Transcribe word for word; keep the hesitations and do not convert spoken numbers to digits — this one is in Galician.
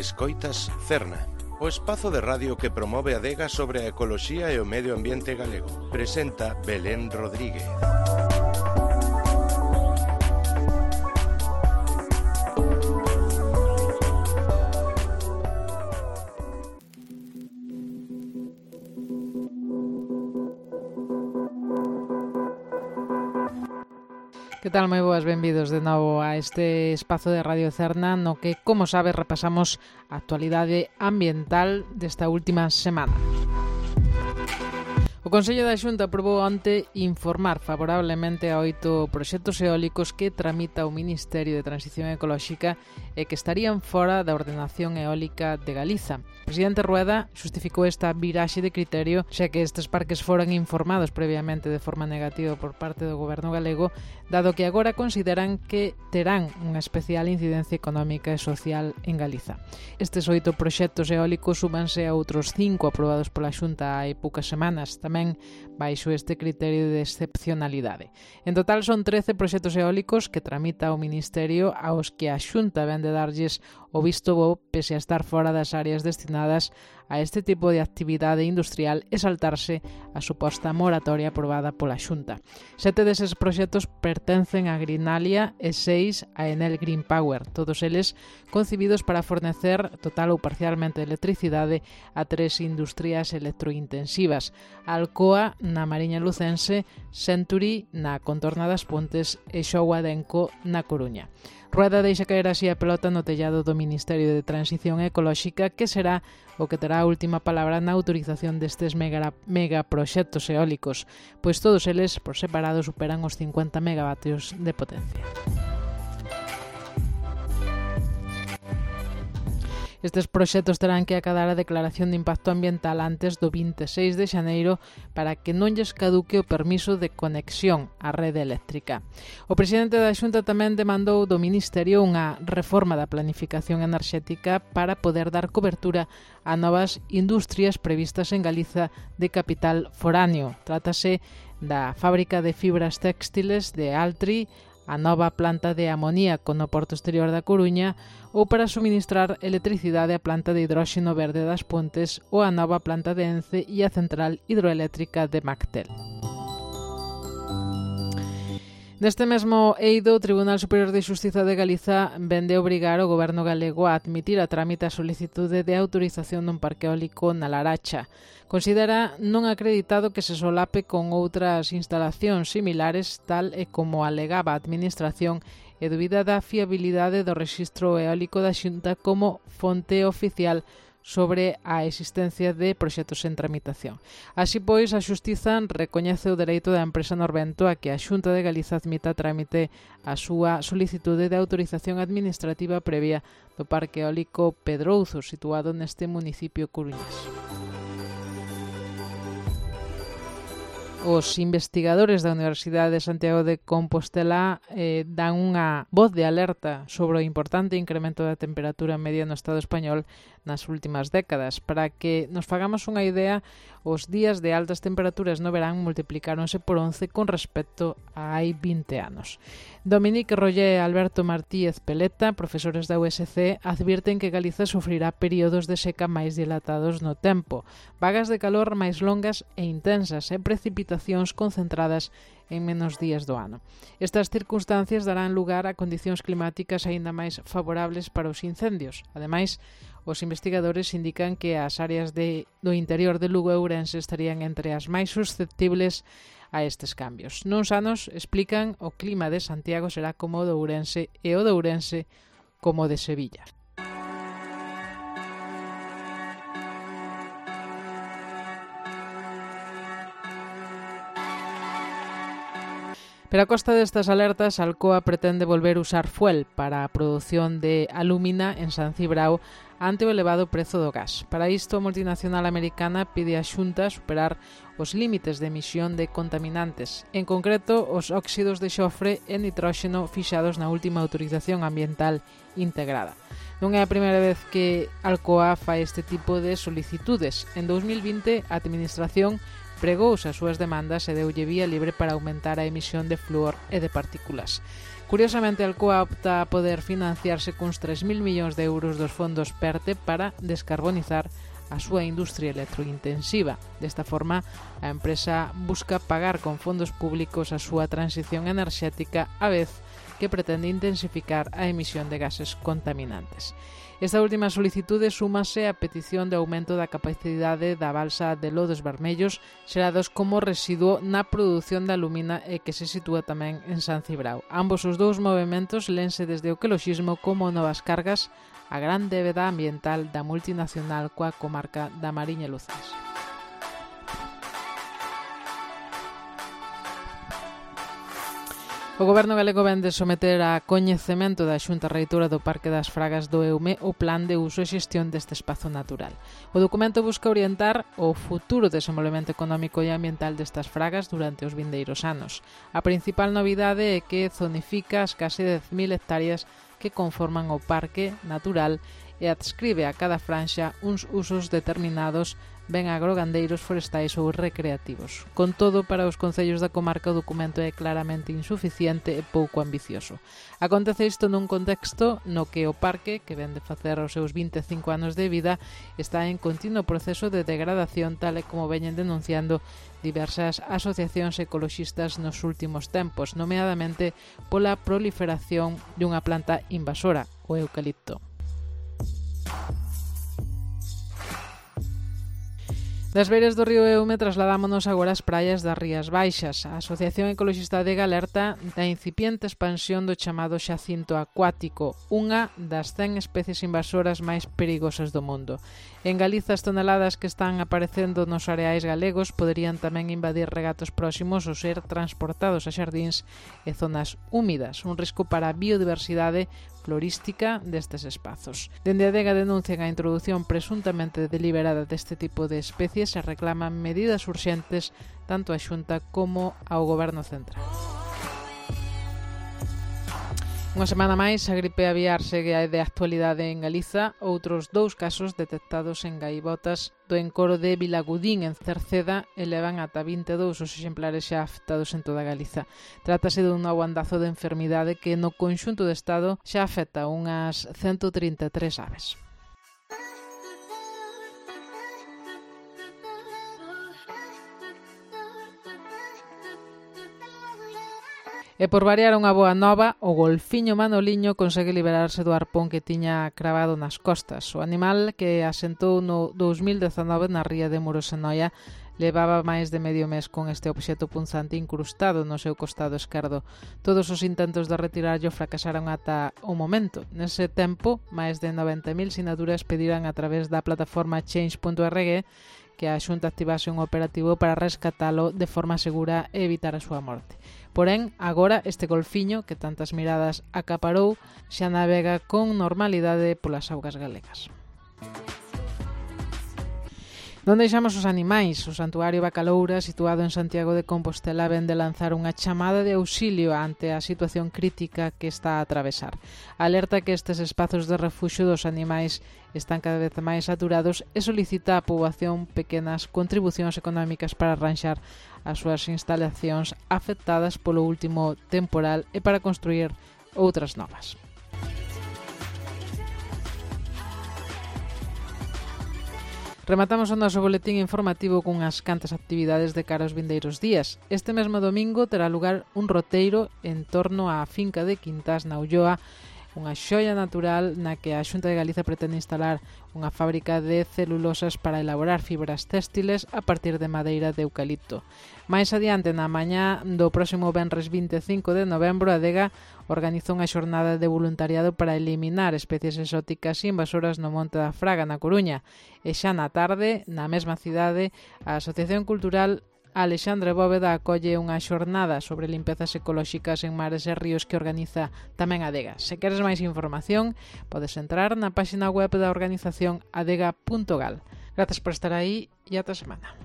Escoitas Cerna, o espazo de radio que promove adegas sobre a ecoloxía e o medio ambiente galego. Presenta Belén Rodríguez. Que tal, moi boas, benvidos de novo a este espazo de Radio Cerna no que, como sabes, repasamos a actualidade ambiental desta última semana. O Consello da Xunta aprobou onte informar favorablemente a oito proxectos eólicos que tramita o Ministerio de Transición Ecolóxica e que estarían fora da ordenación eólica de Galiza. O presidente Rueda xustificou esta viraxe de criterio xa que estes parques foran informados previamente de forma negativa por parte do goberno galego, dado que agora consideran que terán unha especial incidencia económica e social en Galiza. Estes oito proxectos eólicos súmanse a outros cinco aprobados pola Xunta hai poucas semanas, tamén baixo este criterio de excepcionalidade. En total son trece proxectos eólicos que tramita o Ministerio aos que a Xunta ven de darlles o visto bo pese a estar fora das áreas destinadas a este tipo de actividade industrial e saltarse a suposta moratoria aprobada pola Xunta. Sete deses proxectos pertencen a Greenalia e seis a Enel Green Power, todos eles concibidos para fornecer total ou parcialmente electricidade a tres industrias electrointensivas: Alcoa na Mariña Lucense, Century na Contorna das Pontes e Showa Denko na Coruña. Rueda deixa caer así a pelota no tellado do Ministerio de Transición Ecolóxica, que será o que terá a última palabra na autorización destes mega, mega proxectos eólicos, pois todos eles por separado superan os cincuenta megavatios de potencia. Estes proxectos terán que acadar a declaración de impacto ambiental antes do vinte e seis de xaneiro para que non lles caduque o permiso de conexión á rede eléctrica. O presidente da Xunta tamén demandou do Ministerio unha reforma da planificación enerxética para poder dar cobertura a novas industrias previstas en Galiza de capital foráneo. Trátase da fábrica de fibras textiles de Altri, a nova planta de amoníaco no Porto Exterior da Coruña ou para suministrar electricidade á planta de hidróxeno verde das Pontes ou a nova planta de Ence e a central hidroeléctrica de Mactel. Neste mesmo eido, o Tribunal Superior de Xustiza de Galiza vende obrigar o goberno galego a admitir a trámite a solicitude de autorización dun parque eólico na Laracha. Considera non acreditado que se solape con outras instalacións similares, tal e como alegaba a Administración, e dubida da fiabilidade do rexistro eólico da Xunta como fonte oficial sobre a existencia de proxectos en tramitación. Así pois, a Xustiza recoñece o dereito da empresa Norvento a que a Xunta de Galiza admita a trámite a súa solicitude de autorización administrativa previa do parque eólico Pedrouzo, situado neste municipio coruñés. Os investigadores da Universidade de Santiago de Compostela eh, dan unha voz de alerta sobre o importante incremento da temperatura media no Estado español nas últimas décadas. Para que nos fagamos unha idea, os días de altas temperaturas no verán multiplicáronse por once con respecto a hai vinte anos. Dominique Rollé e Alberto Martínez Peleta, profesores da U S C, advirten que Galiza sufrirá períodos de seca máis dilatados no tempo, vagas de calor máis longas e intensas e precipitacións concentradas en menos días do ano. Estas circunstancias darán lugar a condicións climáticas aínda máis favorables para os incendios. Ademais, os investigadores indican que as áreas de, do interior de Lugo e Ourense estarían entre as máis susceptibles a estes cambios. Nuns anos, explican, o clima de Santiago será como o de Ourense e o de Ourense como o de Sevilla. Pero a costa destas alertas, Alcoa pretende volver usar fuel para a produción de alúmina en San Cibrao ante o elevado prezo do gas. Para isto, a multinacional americana pide á Xunta superar os límites de emisión de contaminantes, en concreto os óxidos de xofre e nitróxeno fixados na última autorización ambiental integrada. Non é a primeira vez que Alcoa fai este tipo de solicitudes. En dous mil vinte, a Administración pregouse as súas demandas e deulle vía libre para aumentar a emisión de flúor e de partículas. Curiosamente, Alcoa opta a poder financiarse cuns tres mil millóns de euros dos fondos PERTE para descarbonizar a súa industria electrointensiva. Desta forma, a empresa busca pagar con fondos públicos a súa transición enerxética a vez que pretende intensificar a emisión de gases contaminantes. Esta última solicitude súmase á petición de aumento da capacidade da balsa de lodos vermellos xerados como residuo na produción de alumina e que se sitúa tamén en San Cibrao. Ambos os dous movementos lense desde o ecoloxismo como novas cargas a gran débeda ambiental da multinacional coa comarca da Mariña e Luzas. O Goberno galego vén de someter a coñecemento da Xunta Reitora do Parque das Fragas do Eume o plan de uso e xestión deste espazo natural. O documento busca orientar o futuro desenvolvemento económico e ambiental destas fragas durante os vindeiros anos. A principal novidade é que zonifica as case dez mil hectáreas que conforman o parque natural e adscribe a cada franxa uns usos determinados, ben agrogandeiros, forestais ou recreativos. Con todo, para os concellos da comarca o documento é claramente insuficiente e pouco ambicioso. Acontece isto nun contexto no que o parque, que ven de facer os seus vinte e cinco anos de vida, está en continuo proceso de degradación, tal e como veñen denunciando diversas asociacións ecoloxistas nos últimos tempos, nomeadamente pola proliferación dunha planta invasora, o eucalipto. Das beiras do río Eume trasladámonos agora ás praias das Rías Baixas. A Asociación Ecoloxista de alerta da incipiente expansión do chamado xacinto acuático, unha das cen especies invasoras máis perigosas do mundo. En Galiza, as toneladas que están aparecendo nos areais galegos poderían tamén invadir regatos próximos ou ser transportados a xardíns e zonas húmidas, un risco para a biodiversidade florística destes espazos. Dende a Adega denuncian a introdución presuntamente deliberada deste tipo de especies e reclaman medidas urxentes tanto á Xunta como ao Goberno Central. Unha semana máis, a gripe aviar segue de actualidade en Galiza. Outros dous casos detectados en gaivotas do encoro de Vilagudín, en Cerceda, elevan ata vinte e dous os exemplares xa afectados en toda Galiza. Trátase dun novo andazo de enfermidade que no conxunto do Estado xa afecta unhas ciento trinta e tres aves. E por variar unha boa nova, o golfiño Manoliño consegue liberarse do arpón que tiña cravado nas costas. O animal, que asentou no dous mil dezanove na ría de Murosenoia, levaba máis de medio mes con este obxecto punzante incrustado no seu costado esquerdo. Todos os intentos de retirarlo fracasaron ata o momento. Nese tempo, máis de noventa mil sinaturas pediran a través da plataforma change punto org que a Xunta activase un operativo para rescatalo de forma segura e evitar a súa morte. Porén, agora este golfiño, que tantas miradas acaparou, xa navega con normalidade polas augas galegas. Non deixamos os animais. O Santuario Bacaloura, situado en Santiago de Compostela, ven de lanzar unha chamada de auxilio ante a situación crítica que está a atravesar. Alerta que estes espazos de refuxio dos animais están cada vez máis saturados e solicita á poboación pequenas contribucións económicas para arranxar as súas instalacións afectadas polo último temporal e para construir outras novas. Rematamos o noso boletín informativo cunhas cantas actividades de cara aos vindeiros días. Este mesmo domingo terá lugar un roteiro en torno á finca de Quintás na Ulloa, unha xoia natural na que a Xunta de Galiza pretende instalar unha fábrica de celulosas para elaborar fibras textiles a partir de madeira de eucalipto. Mais adiante, na mañá do próximo venres vinte e cinco de novembro, a Adega organiza unha xornada de voluntariado para eliminar especies exóticas e invasoras no Monte da Fraga, na Coruña. E xa na tarde, na mesma cidade, a Asociación Cultural Alexandre Bóveda acolle unha xornada sobre limpezas ecolóxicas en mares e ríos que organiza tamén a Adega. Se queres máis información, podes entrar na página web da organización adega punto gal. Grazas por estar aí e ata semana.